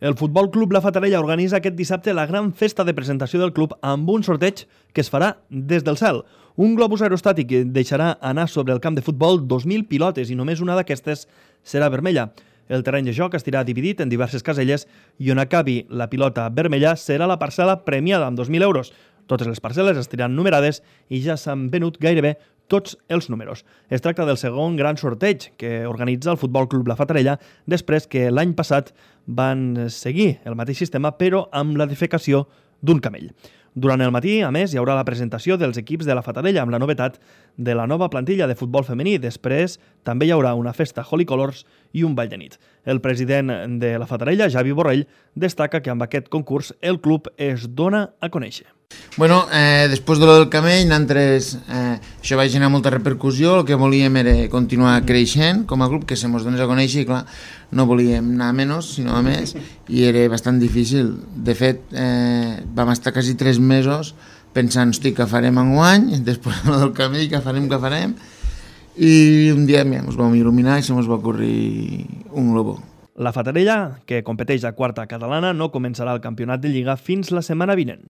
El Futbol Club La Fatarella organitza aquest dissabte la gran festa de presentació del club amb un sorteig que es farà des del cel. Un globus aerostàtic deixarà anar sobre el camp de futbol 2.000 pilotes i només una d'aquestes serà vermella. El terreny de joc estarà dividit en diverses caselles i on acabi la pilota vermella serà la parcel·la premiada amb 2.000 euros. Totes les parcel·les estaran numerades i ja s'han venut gairebé tots els números. Es tracta del segon gran sorteig que organitza el Futbol Club La Fatarella després que l'any passat van seguir el mateix sistema però amb la defecació d'un camell. Durant el matí, a més, hi haurà la presentació dels equips de La Fatarella amb la novetat de la nova plantilla de futbol femení. Després també hi haurà una festa Holy Colors i un ball de nit. El president de La Fatarella, Javi Borrell, destaca que amb aquest concurs el club es dona a conèixer. Bueno, després de lo del camell, nosaltres, això va generar molta repercussió. El que volíem era continuar creixent com a club, que se mos donés a conèixer, i clar, no volíem anar a menys, sinó a més, i era bastant difícil. De fet, vam estar quasi 3 mesos pensant, hosti, què farem enguany, després del camell, què farem, i un dia ens vam il·luminar i se mos va ocorrir un globó. La Fatarella, que competeix a quarta catalana, no començarà el campionat de Lliga fins la setmana vinent.